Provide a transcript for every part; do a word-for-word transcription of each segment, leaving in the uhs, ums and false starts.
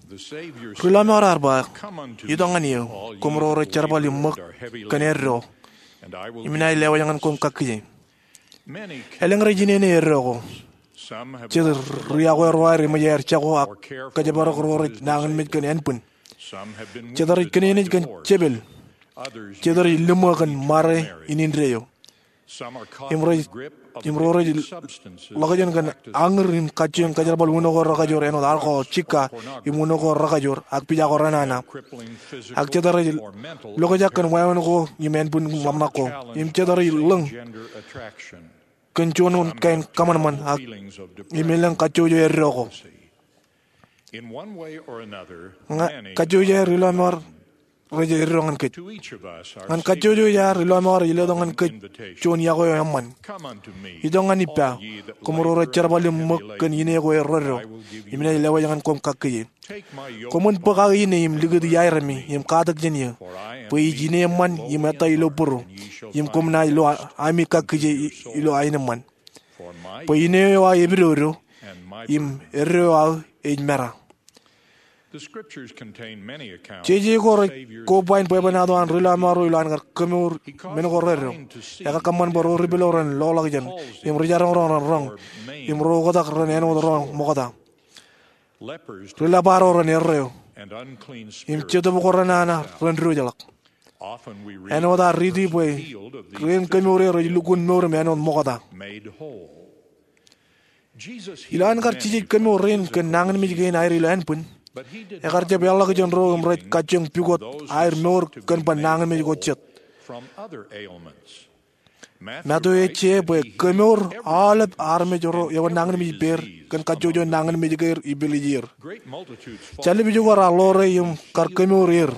Ri lọmọọr ear ba, "Itok ñan eō, koṃ ro rej jerbal im ṃōk kōn eddo, im inaaj lewōj ñan koṃ kakkije." Elōñ rej inene eddo ko. Jet ri yokwe ro aer eṃōj aer jako ak kōjparok ro rej nañinmej kōn ānbwin. Jet rej kōnenej kōn jepel. Jet rej liṃō kōn ṃare in indeeo. Im rej, im ro rej ḷọkjeṇ kōn añūr im kajjioñ kōjerbal uno ko rekajoor āinwōt alkohol, jikka, im uno ko rekajoor, ak pija ko renana. Ak jet rej lokjak kōn wāween ko im ānbwin ḷōmṇak ko. Im jet rej lōñ kōn juon kain kōṃanṃan ak im elōñ kajjojo eddo ko. Ña, kajjojo aer ri lọmọọr rej eddo ñan kōj. Ñan kajjojo aer ri lọmọọr ej letok ñan kōj juon yokwe eo eṃṃan. "Itok ñan ippa, koṃ ro rej jerbal im ṃōk kōn ine ko erreddo, im inaaj lewōj ñan koṃ kakkije. Koṃwin bōk aō ine im likūt iaeremi im katak jān eō, bwe ij ine eṃṃan im ettā ilo būru, im koṃ naaj lo ami kakkije i-, ilo aenōṃṃan. Bwe ine eo aō epidodo, im eddo eo aō ej mera." Jeje ko rej kobain bwebwenato an ri lọmọọr ro ilo an kar kemour men ko reddo. Ekar kōṃṃan bwe ro ripilo ren loḷọkjeṇ, im ri jaroñroñ ren roñ, im ro oktak ren āinwōt ro ṃokta. Ri lōbar ro ren erreo, im jetōb ko renana ren diwōjḷọk. Āinwōt ad riiti bwe rien kemour er ej lukkuun mour im āinwōt ṃokta. Ilo an kar Jisōs kemour rein kōn nañinmej kein aer ilo ānbwin, ekar jab eḷḷọk jān ro im rej kajjioñ pukot aer mour kōn bar nañinmej ko jet. Matu ej je bwe kemour aolep armej ro ewōr nañinmej ippāer kōn kajjojo nañinmej keir ipilijeir. Jāllib ijoko raar ḷoore im kar kemour er.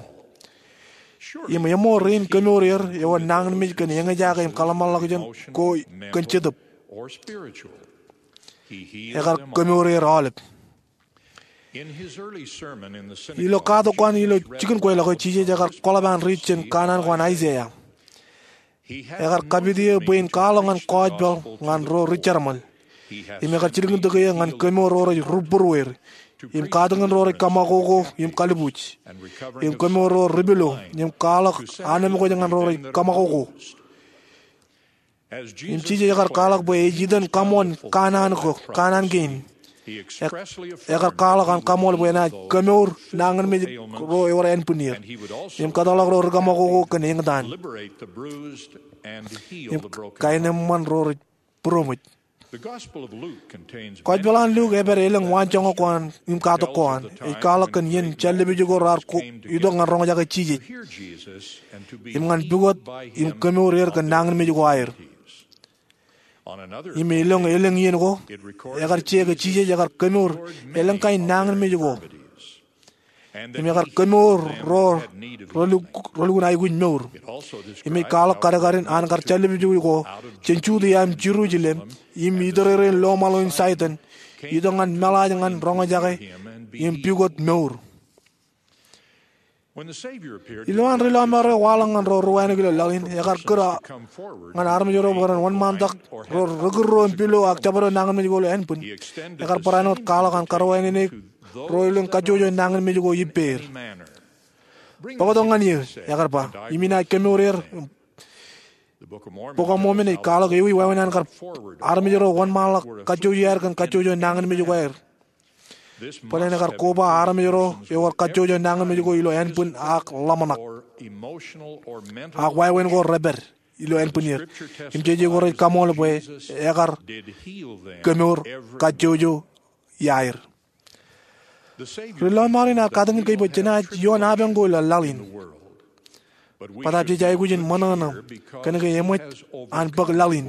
Im eṃool rein kemour er ewōr nañinmej kōn eñjake im kōḷmānḷọkjeṇ ko kōn jetōb. Ekar kemour er aolep. Ilo katak ko an ilo jikin kweilọk eo, Jisōs ekar kwaḷọk an riit jān kanaan ko an Aiseia. Ekar kapit eō bwe in kwaḷọk ñan kọọjpaḷ ñan ro ri jerbal. Im ekar jilkintok eō ñan kemour ro rej rūbūrueir, im katakin ro rej kaṃakoko im kalbuuj, im kemour ro ripilo, im kwaḷọk anemkwōj ñan ro rej kaṃakoko. Im Jisōs ekar kwaḷọk bwe ej itan kaṃool kanaan ko, kanaan kein. Ek-, ekar kwaḷọk an kaṃool bwe enaaj kemour nañinmej ro ewōr ānbwinnier, im kōtḷọk ro ri kaṃakoko kōn eñtaan, im kaenōṃṃan ro rej būroṃōj. Kọọjpaḷ an Luk ej pād elōñ waanjoñak ko an im katak ko an. Ej kwaḷọk kōn iien jāllib ijoko raar ko-, itok ñan roñjake Jisōs, im ñan pukot im kemour er kōn nañinmej ko aer. Im elōñ elōñ iien ko, ekar je ke Jisōs ekar kemour elōñ kain nañinmej ko. Im ekar kemour ro reluk-, relukkuun aikuj mour. Im ej kwaḷọk kadkadin an kar jāllib ijoko jān Judia im Jerusalem, im itōrereen loṃaḷo in Saitan, itok ñan meḷaaj ñan roñjake im pukot mour. Ilo an ri lọmọọr eo waḷọk ñan ro ri wānōk ilo laḷ in, ekar kūr ñan armej ro bwe ren wōnṃaantak ro rekūrro im pilo ak jabdewōt nañinmej ko ilo ānbwin. Ekar barāinwōt kwaḷọk an karwaineneik ro elōñ kajjojo nañinmej ko ippāer. "Bōktok ñan eō," ekar ba, "im inaaj kemour er." Bok eo Mōmon ej kwaḷọk ewi wāween an kar armej ro wōnṃaanḷọk kajjojo aer kōn kajjojo nañinmej ko aer. Bōlen ekar koba armej ro ewōr kajjojo nañinmej ko ilo ānbwin ak ḷōmṇak, ak wāween ko repād ilo ānbwinnier. Im jeje ko rej kaṃool bwe ekar kemour kajjojo iaer. Ri lọmọọr in ear katakin kōj bwe jenaaj ioon apañ ko ilo laḷ in. Bōtaab jej aikuj in ṃōṇōṇō kōnke eṃōj an bōk laḷ in.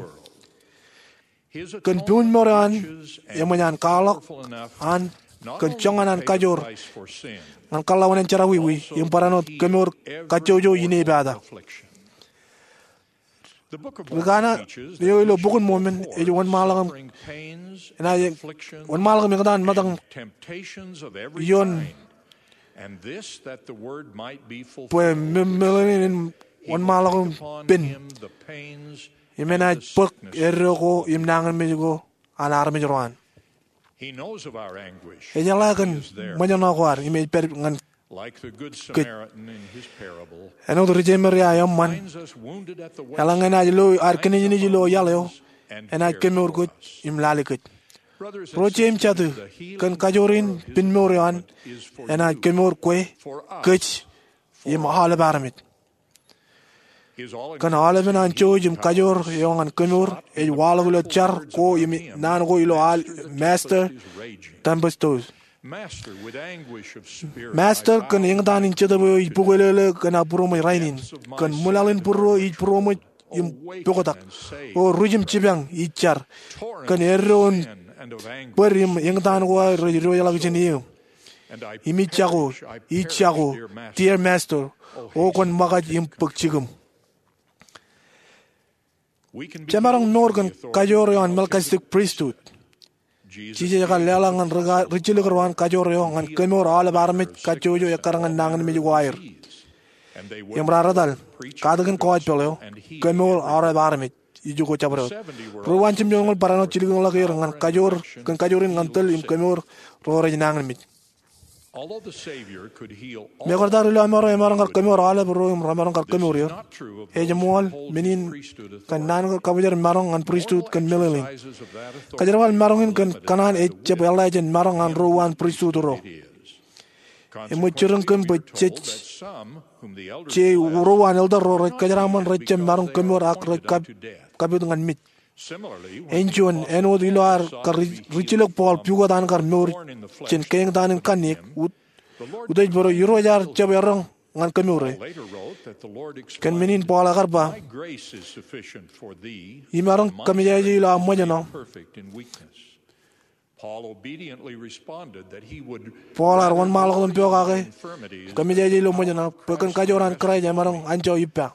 Kōn pūnmor eo an, eṃōj an kwaḷọk an kōn joñan an kajoor ñan kōḷḷaunān jerọwiwi im barāinwōt kemour kajjojo inepata. Ri kanaan eo ilo Bok in Mōmon ej wōnṃaanḷọk im, enaaj wōnṃaanḷọk im eñtaan metak ioon bwe meḷeḷein in wōnṃaanḷọk im pen. Im enaaj bōk eddo ko im nañinmej ko an armej ro an. Ej jeḷā kōn ṃōjṇọ ko ad im ej pād ñan kōj. Āinwōt ri-Jemeria eṃṃan, eḷaññe enaaj lo ad kōnejnej ilo iaḷ eo, enaaj kemour kōj im lale kōj. Ro jeiū im jatū, kōn kajoor in pinmour eo an, enaaj kemour kwe, kōj, im aolep armej. Kōn aolepen an jouj im kajoor eo ñan kemour ej waḷọk ilo jar ko im naan ko ilo al Master Tempestos. Master, kōn eñtaan in jetōb eo ij bukwelele kōn aō būroṃōj rainin, kōn ṃwilaḷ in būruō ij būroṃōj im poktak, o ruj im jipañ ij jar, kōn eddo in bōd im eñtaan ko aō rej diwōjḷọk jān eō. Im ij jako, ij jako, dear Master, o kwōn ṃōkaj im bōk jikūṃ. Jemaroñ mour kōn kajoor eo an Melkisedek pristut. Jisōs ekar leḷọk ñan ri-, rijjilōk ro an kajoor eo ñan kemour aolep armej kajjojo ekkar ñan nañinmej ko aer. Im raar etal, katakin gospel eo, kemour aolep armej. Ijoko jabdewōt. Ruo uwaan jimjuonñoul barāinwōt jilkinḷọk er ñan kajoor, kōn kajoor in ñan tōl im kemour ro rej nañinmej. Mekarta ilo amaro emaroñ kar kemour aolep ro im remaroñ kar kemour er, ej eṃṃool men in kōn naan ko kabōjrak maroñ ñan pristut kōn meḷeḷein. Kajerbal maroñ in kōn kōṇaan ej jab eḷḷā jān maroñ an ruo uwaan pristut ro. Eṃōj jiroñ kōm bwe jej, je ruo uwaan elder ro rej kōjeraaṃṃan rej jab maroñ kemour ak rej kab-, kapit ñan mej. Āinjuon, āinwōt ilo ad kar ri-, rijjilōk Paul pukot an kar mour jān keeñtaan in kanniōk, ut-, utiej bwe Irooj ear jab erroñ ñan kemour e. Kōn men in Paul ekar ba, imaroñ kōmejaje ilo aō ṃōjṇọ. Paul ear wōnṃaanḷọk im pokake, kōmejaje ilo ṃōjṇọ, bwe kōn kajoor an Kraist emaroñ anjọ ippa.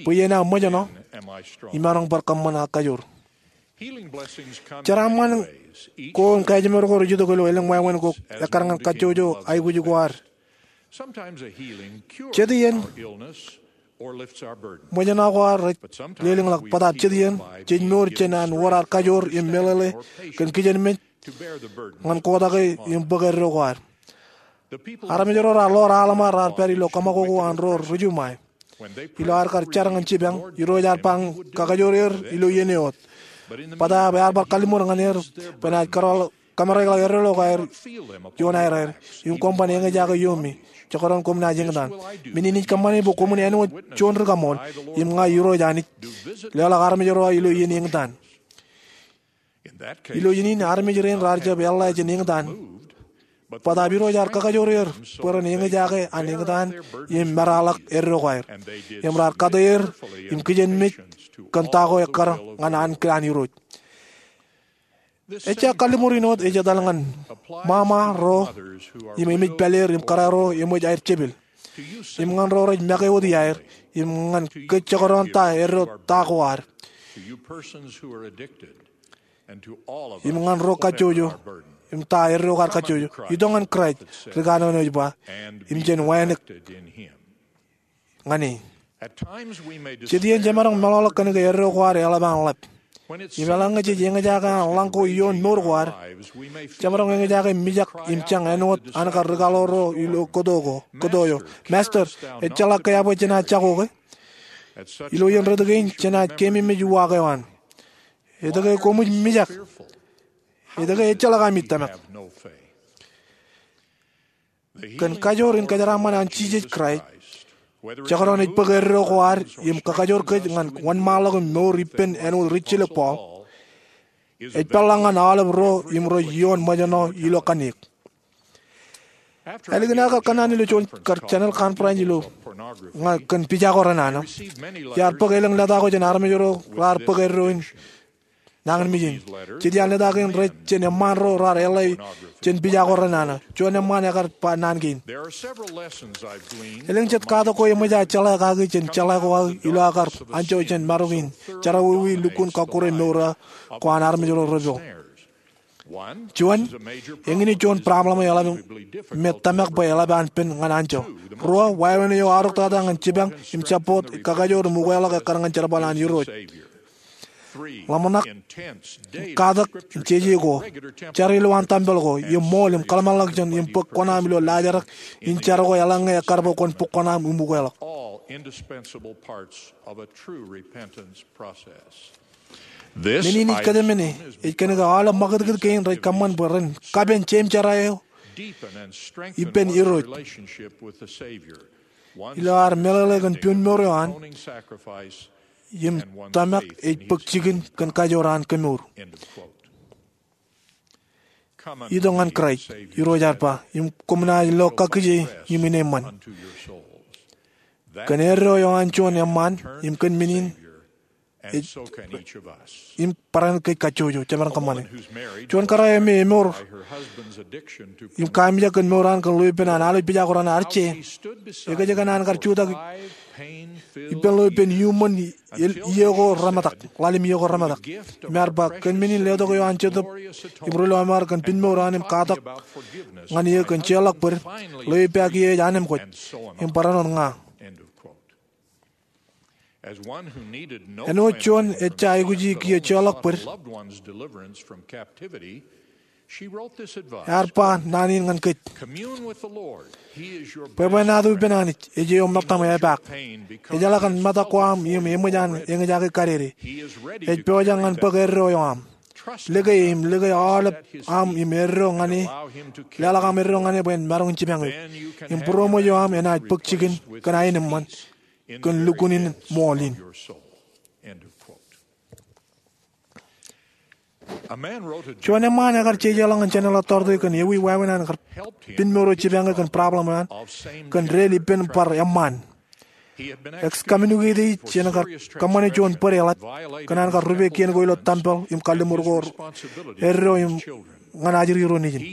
Bwe iien aō ṃōjṇọ, imaroñ bar kōṃṃan aō kajoor. Jeraaṃṃan ko im kajeṃor ko rej itok ilo elōñ wāween ko ekkar ñan kajjojo aikuj ko ad. Jet iien ṃōjṇọ ko ad rej lelōñḷọk, bōtab jet iien jej mour jān an wōr ad kajoor im meḷeḷe kōn kijenmej ñan kotak e im bōk eddo ko ad. Armej ro raar ḷoor Alma raar pād ilo kōṃakoko an ro ri-Jumai. Ilo ad kar jar ñan jipañ, Irooj ear ba ñan kakajoor er ilo iien eo wōt. Bōtab ear bar kalliṃur ñan er bwe enaaj kōmāreḷọk eddo ko aer ioon aer aer, im koṃ ban eñjake iiō me, jekdọọn koṃ naaj eñtaan. Men in ij kōṃṃane bwe koṃwin āinwōt juon ri-kaṃool, im ña Irooj Anij, leḷọk armej ro aō ilo iien eñtaan. Ilo iien in armej rein raar jab eḷḷā jān eñtaan. Bōtab Irooj ear kakajoor er bwe ren eñjake an eñtaan im meraḷọk eddo ko aer. Im raar kate er im kijenmej kōn ta ko ekkar ñan ankilaan Irooj. Ejja kalliṃur in wōt ej etal ñan ṃaṃa ro im emej pāleer im kōrā ro eṃōj aer jepel. Im ñan ro rej make wōt iaer, im ñan kōj jekdọọn ta eddo ta ko ad. Im ñan ro kajjojo, im ta eddo ko ad kajjojo, itok ñan Kraist, ri kanono ej ba, im jen wānōk ñan e. Jet iien jemaroñ meḷọkḷọk kōn ke eddo ko ad eḷap an ḷap. Im eḷaññe jej eñjake an ḷañ ko ioon mour ko ad, jemaroñ eñjake mijak im jañ āinwōt an kar ri kaḷoor ro ilo kōto ko, kōto eo. Master, ejjeḷọk ke eabwe jenaaj jako ke? Ilo iien retōk in jenaaj keememej uwaak eo an. Etke koṃij mijak? Etke ejjeḷọk ami tōmak? Kōn kajoor in kōjeraaṃṃan an Jisōs Kraist, jekdọọn ej bōk eddo ko ad im kakajoor kōj ñan wōnṃaanḷọk im mour ippān āinwōt rijjilōk Paul, ej peḷḷọk ñan aolep ro im ro ioon ṃōjṇọ ilo kanniōk. Ālikin aō kar kōnnaan ilo juon kar channel conference ilo ñan kōn pija ko renana, iar bōk elōñ leta ko jān armej ro raar bōk eddo in nañinmej in. Jet iaan leta kein rej jān eṃṃaan ro raar eḷḷā jān pija ko renana. Juon eṃṃaan ekar ba naan kein. Elōñ jet katak ko eṃōj aō jeḷā kaki jān jeḷā ko aō ilo aō kar anjọ jān marok in jerọwiwi lukkuun kọkkure mour ko an armej ro repo. Juon, eñin ej juon problem eo eḷap me tōmak bwe eḷap an pen ñan anjọ. Ruo, wāween eo aorōktata ñan jipañ im support kakajoor im ukeḷọk ekkar ñan jerbal an Irooj. ḷōmṇak, katak, jeje ko, jar ilo an tempel ko, im ṃool im kōḷmānḷọkjeṇ im bōk kuṇaaṃ ilo laajrak in jar ko eḷaññe ekkar bwe kwōn bōk kuṇaaṃ im ukeḷọk. Men in ij kōjemāne ej kōnke aolep ṃakūtkūt kein rej kōṃṃan bwe ren kapen jeim jera eo ippān Irooj ilo ad meḷeḷe kōn piunmour eo an im tōmak ej bōk jikin kōn kajoor an kemour. Itok ñan Kraist, Irooj ear ba, im koṃ naaj lo kakkije im ineeṃṃan. Kōn eddo eo an juon eṃṃaan im kōn men in im barāinwōt kōj kajjojo, jemaroñ kōṃṃane. Juon kōrā eo me emour im kaamijak kōn mour an kōn lo ippān an alwōj pija ko raṇ ear je, ekōjkan an kar jutak ippān lo ippān iuṃwin iiō ko remetak, ḷalem iiō ko remetak. Im ear ba, kōn men in letok eo an Jetōb im ri lọmọọr kōn piunmour an im katak ñan eō kōn jeorḷọk bōd, lo ippa kiiō ej anemkwōj im barāinwōt ña. Āinwōt juon ejja aikuji kiiō jeorḷọk bōd, ear ba naan in ñan kōj: Bwebwenato ippān Anij, ej eo ṃōttaṃ epaak. Ejeḷā kōn metak ko aṃ im eṃōj an eñjake kadede. Ej pojak ñan bōk eddo eo aṃ. Lōke e im lōke aolep aṃ im eddo ñan e, leḷọk aṃ eddo ñan e bwe en maroñ in jipañ eok. Im būroṃōj eo aṃ enaaj bōk jikin kōn aenōṃṃan kōn lukkuun in ṃool in. Juon eṃṃaan ekar jejeḷọk ñan General Authority kōn ewi wāween an kar piunmour eo jipañ e kōn problem eo an kōn dein ippān bar eṃṃaan. Excommunicated, ej kar kōṃṃane juon bōd eḷap kōn an kar rupe kien ko ilo tempel im kalliṃur ko eddo im ñan ajri ro nejin.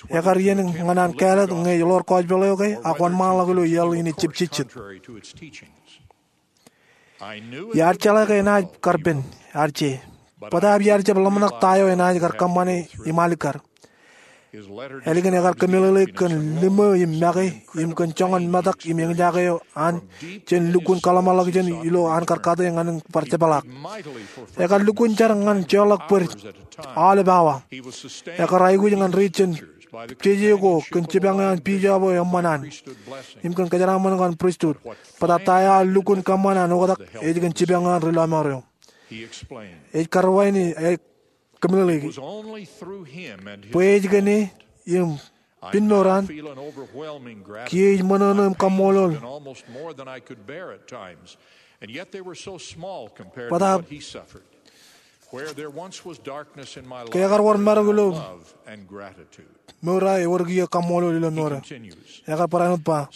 Ekar iien ñan an kāālōt ñe ej ḷoor gospel eo ke ak wōnṃaanḷọk ilo iaḷ in ejjab jejjet. Iar jeḷā ke enaaj kar pen, ear je. Bōtaab iar jab ḷōmṇak ta eo enaaj kar kōṃṃane im alikkar. Ālikin ekar kōmeḷeḷeik kōn liṃō im make im kōn joñan metak im eñjake eo an jān lukkuun kōḷmānḷọkjeṇ ilo an kar kate ñan in bar jepḷaak. Ekar lukkuun jar ñan jeorḷọk bōd aolep awa. Ekar aikuj ñan ri jān jeje ko kōn jipañ eo an bishop eo eṃṃan an im kōn kōjeraaṃṃan ko an pristut. Bōtaab ta eo ear lukkuun kōṃṃan an oktak ej kōn jipañ eo an ri lọmọọr eo. Ej karuwainene, ej kōmeḷeḷeiki bwe ej kōn e im piunmour an, kiiō ij ṃōṇōṇō im kaṃṃoolol. Bōtaab ke ekar wōr marok ilo mour eo aō, ewōr kiiō kaṃṃoolol ilo mour eo aō. Ekar barāinwōt ba,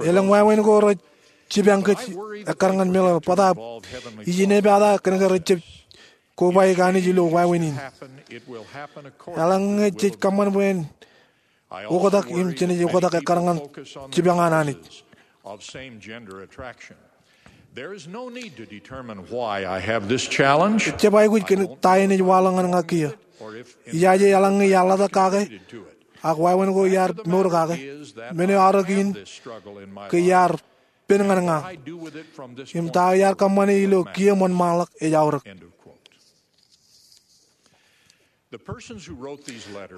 elōñ wāween ko rej jipañ kōj ekkar ñan meḷeḷe, bōtaab ij inepata kōnke rej jab kobaik Anij ilo wāween in. Eḷaññe jej kōṃṃan bwe en oktak im jenaaj oktak ekkar ñan jipañ an Anij. Ejjab aikuj kōn ta enaaj waḷọk ñan ña kiiō. Ijaje eḷaññe iar ḷotak kake ak wāween ko iar mour kake, men eo aorōk in ke iar pen ñan ña im ta eo iar kōṃṃane ilo kiiō im wōnṃaanḷọk ej aorōk.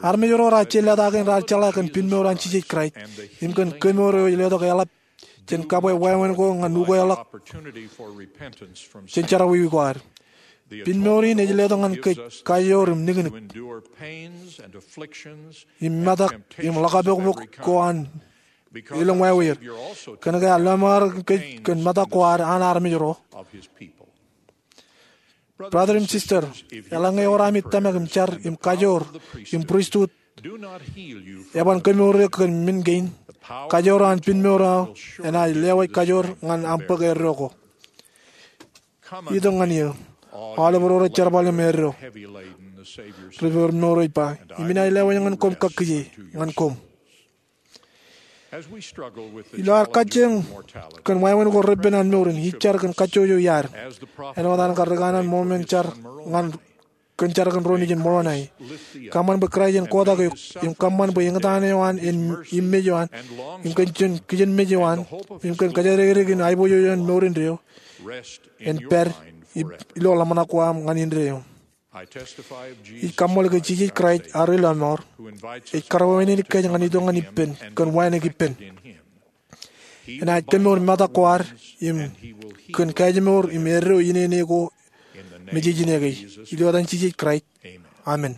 Armej ro raar je leta kein raar jeḷā kōn piunmour an Jisōs Kraist im kōn kemour eo ej letok eḷap jān kabwe wāween ko ñan ukeḷọk jān jerọwiwi ko ad. Piunmour in ej letok ñan kōj kajoor im niknik im metak im ḷōkapokpok ko an elōñ wāween, kōnke ear lọmọọren kōj kōn metak ko ad an armej ro. Brother im sister, eḷaññe ewōr ami tōmak im jar im kajoor im pristut eban kemour eok kōn men kein, kajoor an piunmour eo aō enaaj lewōj kajoor ñan am bōk eddo ko. Itok ñan eō, aolep ro rej jerbal im eddo. Ri-Mour ej ba, im inaaj lewōj ñan koṃ kakkije, ñan koṃ. Ilo ad kajjioñ kōn wāween ko repen an mour in, ij jar kōn kajjojo iaad. Āinwōt an kar ri kanaan Mōrmon jar ñan kōn jar kōn ro nejin Moronai. Kōṃṃan bwe Kraist en kotak eok, im kōṃṃan bwe eñtaan eo an en im mej eo an, im kōn kijenmej eo an, im kōn kōjatdikdik in aiboojoj eo an mour indeeo, en pād ilo ḷōmṇak ko aṃ ñan indeeo. Ij kaṃṃoolol ke Jisōs Kraist, ad Ri Lọmọọr, ej karwaineneik kōj ñan itok ñan ippān kōn wānōk ippān. Enaaj kōmour metak ko ad im kōn kajiṃor im eddo inene ko me jej ineke. Ilo etan Jisōs Kraist, amen.